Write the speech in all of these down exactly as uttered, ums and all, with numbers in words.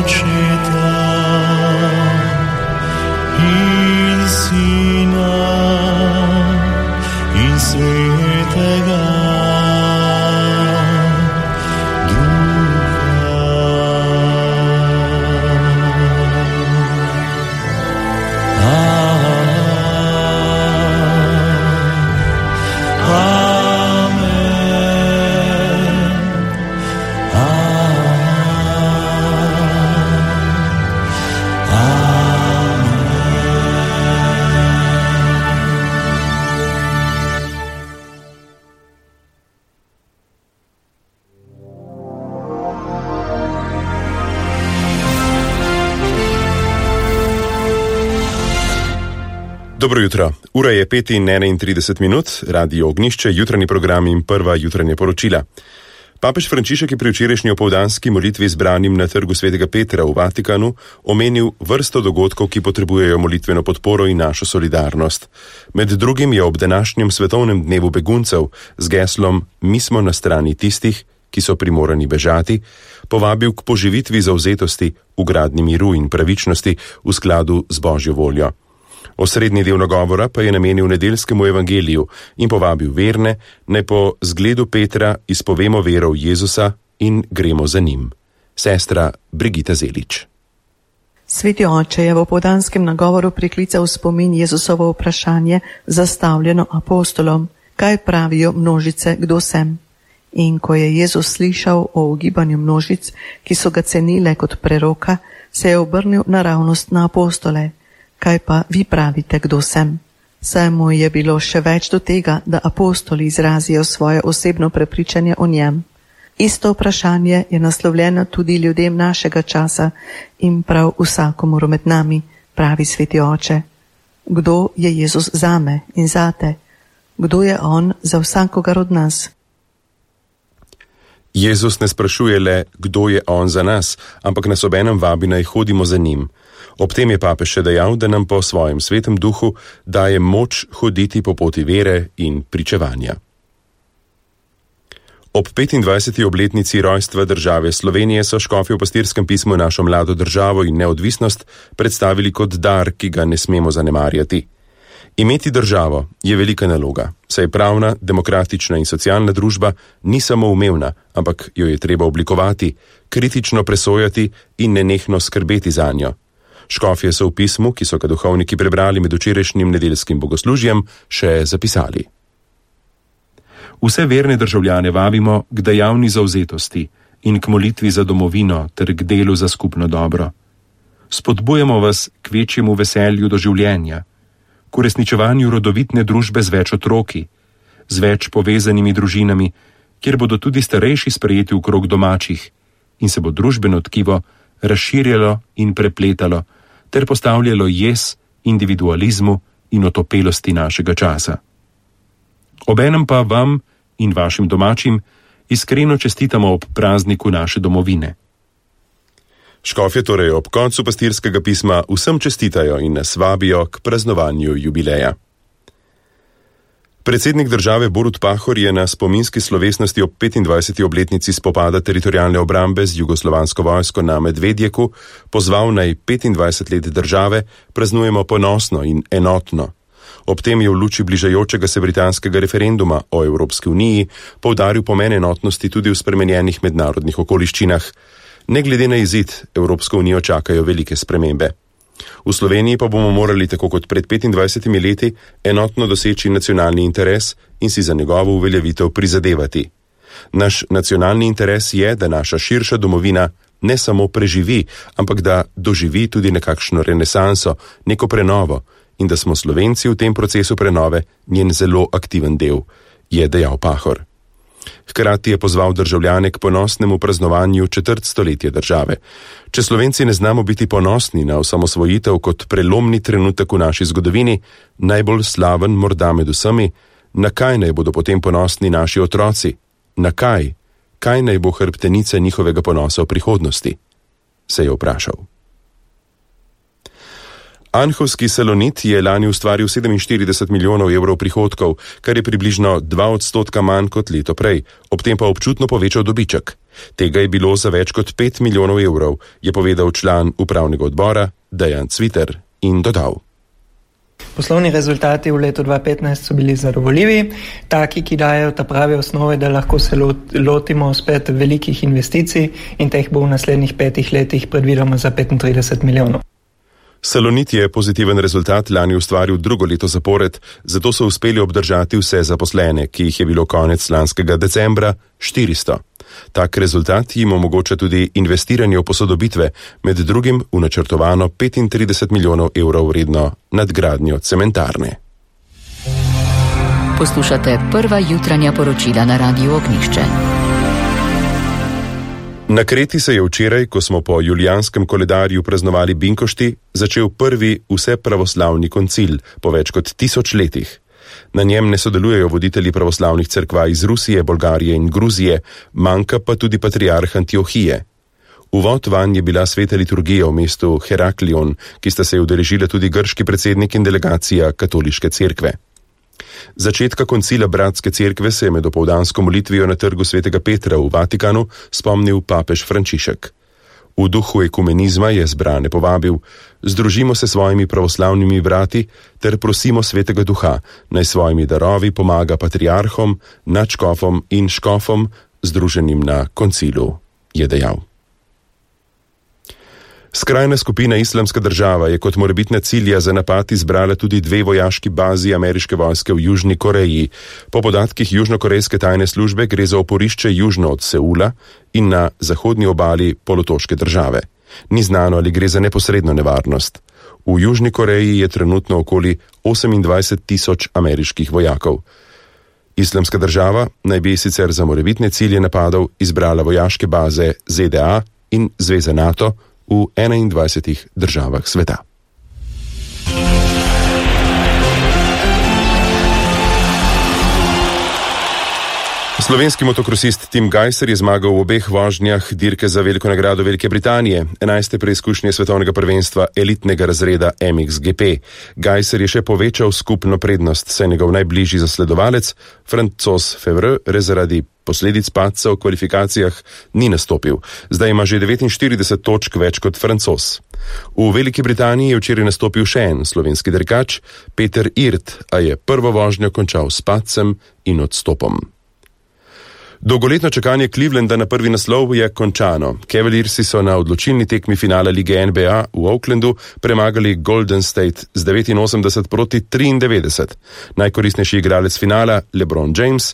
Očeta in Sina in Svetega Dobro jutro. Ura je pet in enaintrideset minut, Radio Ognjišče, jutranji program in prva jutranja poročila. Papež Frančišek je pri včerajšnji opoldanski molitvi zbranim na trgu Svetega Petra v Vatikanu omenil vrsto dogodkov, ki potrebujejo molitveno podporo in našo solidarnost. Med drugim je ob današnjem svetovnem dnevu beguncev z geslom Mi smo na strani tistih, ki so primorani bežati, povabil k poživitvi zavzetosti v gradnji miru in pravičnosti v skladu z Božjo voljo. Osrednji del nagovora pa je namenil nedeljskemu evangeliju in povabil verne, naj po zgledu Petra izpovemo vero v Jezusa in gremo za njim. Sestra Brigita Zelič. Sveti oče je v opoldanskem nagovoru priklical spomin Jezusovo vprašanje zastavljeno apostolom, kaj pravijo množice, kdo sem. In ko je Jezus slišal o ugibanju množic, ki so ga cenile kot preroka, se je obrnil naravnost na apostole. Kaj pa vi pravite, kdo sem? Saj mu je bilo še več do tega, da apostoli izrazijo svoje osebno prepričanje o njem. Isto vprašanje je naslovljeno tudi ljudem našega časa in prav vsakomur med nami, pravi sveti oče. Kdo je Jezus zame in zate? Kdo je on za vsakogar od nas? Jezus ne sprašuje le, kdo je on za nas, ampak nas obenem vabi, naj hodimo za njim. Ob tem je papež še dejal, da nam po svojem svetem duhu daje moč hoditi po poti vere in pričevanja. Ob petindvajseti obletnici rojstva države Slovenije so škofje v pastirskem pismu našo mlado državo in neodvisnost predstavili kot dar, ki ga ne smemo zanemarjati. Imeti državo je velika naloga, saj pravna, demokratična in socialna družba ni samo umevna, ampak jo je treba oblikovati, kritično presojati in nenehno skrbeti zanjo. Škofje so v pismu, ki so ga duhovniki prebrali med včerajšnjim nedeljskim bogoslužjem, še zapisali. Vse verne državljane vabimo k dejavni zavzetosti in k molitvi za domovino ter k delu za skupno dobro. Spodbujamo vas k večjemu veselju do življenja, k uresničevanju rodovitne družbe z več otroki, z več povezanimi družinami, kjer bodo tudi starejši sprejeti v krog domačih in se bo družbeno tkivo razširjalo in prepletalo ter postavljalo jez individualizmu in otopelosti našega časa. Obenem pa vam in vašim domačim iskreno čestitamo ob prazniku naše domovine. Škofje torej ob koncu pastirskega pisma vsem čestitajo in nas vabijo k praznovanju jubileja. Predsednik države Borut Pahor je na spominski slovesnosti ob petindvajseti obletnici spopada teritorialne obrambe z jugoslovansko vojsko na Medvedjeku pozval naj petindvajset let države praznujemo ponosno in enotno. Ob tem je v luči bližajočega se britanskega referenduma o Evropski uniji poudaril pomen enotnosti tudi v spremenjenih mednarodnih okoliščinah. Ne glede na izid, Evropsko unijo čakajo velike spremembe. V Sloveniji pa bomo morali, tako kot pred petindvajsetimi leti, enotno doseči nacionalni interes in si za njegovo uveljavitev prizadevati. Naš nacionalni interes je, da naša širša domovina ne samo preživi, ampak da doživi tudi nekakšno renesanso, neko prenovo in da smo Slovenci v tem procesu prenove njen zelo aktiven del, je dejal Pahor. Hkrati je pozval državljane k ponosnemu praznovanju četrt stoletja države. Če Slovenci ne znamo biti ponosni na osamosvojitev kot prelomni trenutek v naši zgodovini, najbolj slaven morda med vsemi, na kaj naj bodo potem ponosni naši otroci? Na kaj? Kaj naj bo hrbtenica njihovega ponosa v prihodnosti? Se je vprašal. Anhovski Salonit je lani ustvaril sedeminštirideset milijonov evrov prihodkov, kar je približno dva odstotka manj kot leto prej, ob tem pa občutno povečal dobiček. Tega je bilo za več kot pet milijonov evrov, je povedal član upravnega odbora Dejan Cviter in dodal. Poslovni rezultati v letu dva tisoč petnajst so bili zadovoljivi, taki, ki dajo ta prave osnove, da lahko se lotimo spet velikih investicij in teh bo v naslednjih petih letih predvidoma za petintrideset milijonov. Salonit je pozitiven rezultat lani ustvaril drugo leto zapored, zato so uspeli obdržati vse zaposlene, ki jih je bilo konec lanskega decembra štiristo. Tak rezultat jim omogoča tudi investiranje v posodobitve, med drugim v načrtovano petintrideset milijonov evrov vredno nadgradnjo cementarne. Poslušate prva jutranja poročila na Radiu Ognjišče. Na Kreti se je včeraj, ko smo po julijanskem koledarju praznovali Binkošti, začel prvi vsepravoslavni koncil po več kot tisoč letih. Na njem ne sodelujejo voditelji pravoslavnih cerkva iz Rusije, Bolgarije in Gruzije, manjka pa tudi patriarh Antiohije. Uvod vanj je bila sveta liturgija v mestu Heraklion, ki sta se udeležila tudi grški predsednik in delegacija katoliške cerkve. Začetka koncila bratske cerkve se je med opoldansko molitvijo na trgu svetega Petra v Vatikanu spomnil papež Frančišek. V duhu ekumenizma je zbrane povabil: združimo se svojimi pravoslavnimi brati ter prosimo svetega duha, naj svojimi darovi pomaga patriarhom, nadškofom in škofom združenim na koncilu, je dejal. Skrajna skupina Islamska država je kot morebitna cilja za napad izbrala tudi dve vojaški bazi ameriške vojske v Južni Koreji. Po podatkih južnokorejske tajne službe gre za oporišče južno od Seula in na zahodni obali polotoške države. Ni znano, ali gre za neposredno nevarnost. V Južni Koreji je trenutno okoli osemindvajset tisoč ameriških vojakov. Islamska država naj bi sicer za morebitne cilje napadov izbrala vojaške baze Z D A in Zveze NATO v enaindvajsetih državah sveta. Slovenski motokrosist Tim Gajser je zmagal v obeh vožnjah dirke za veliko nagrado Velike Britanije, enajste preizkušnje svetovnega prvenstva elitnega razreda M X G P. Gajser je še povečal skupno prednost, saj njegov najbližji zasledovalec, Francoz Fevre, zaradi posledic padca v kvalifikacijah ni nastopil. Zdaj ima že devetinštirideset točk več kot Francoz. V Veliki Britaniji je včeraj nastopil še en slovenski dirkač, Peter Irt, a je prvo vožnjo končal s padcem in odstopom. Dolgoletno čakanje Clevelanda na prvi naslov je končano. Cavaliersi so na odločilni tekmi finala lige N B A v Oaklandu premagali Golden State z devetinosemdeset proti triindevetdeset. Najkoristnejši igralec finala, LeBron James,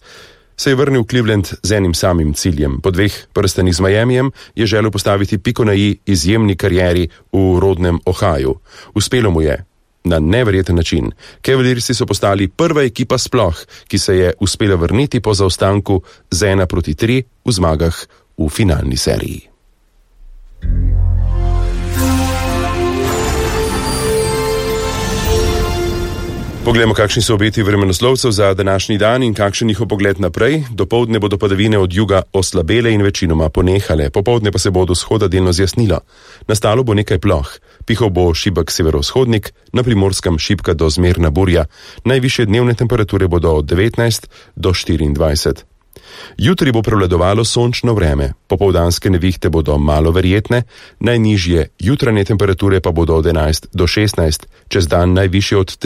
se je vrnil v Cleveland z enim samim ciljem. Po dveh prstenih z Miamijem je želel postaviti piko na i izjemni karieri v rodnem Ohaju. Uspelo mu je. Na neverjeten način. Cavaliersi so postali prva ekipa sploh, ki se je uspela vrniti po zaostanku z ena proti tri v zmagah v finalni seriji. Poglejmo, kakšni so obeti vremenoslovcev za današnji dan in kakšen njihov pogled naprej. Dopoldne bodo padavine od juga oslabele in večinoma ponehale, popoldne pa se bo od vzhoda delno zjasnilo. Nastalo bo nekaj ploh, pihal bo šibek severovzhodnik, na Primorskem šibka do zmerna burja. Najvišje dnevne temperature bodo od devetnajst do štiriindvajset. Jutri bo prevladovalo sončno vreme, popoldanske nevihte bodo malo verjetne, najnižje jutranje temperature pa bodo od enajst do šestnajst, čez dan najvišje od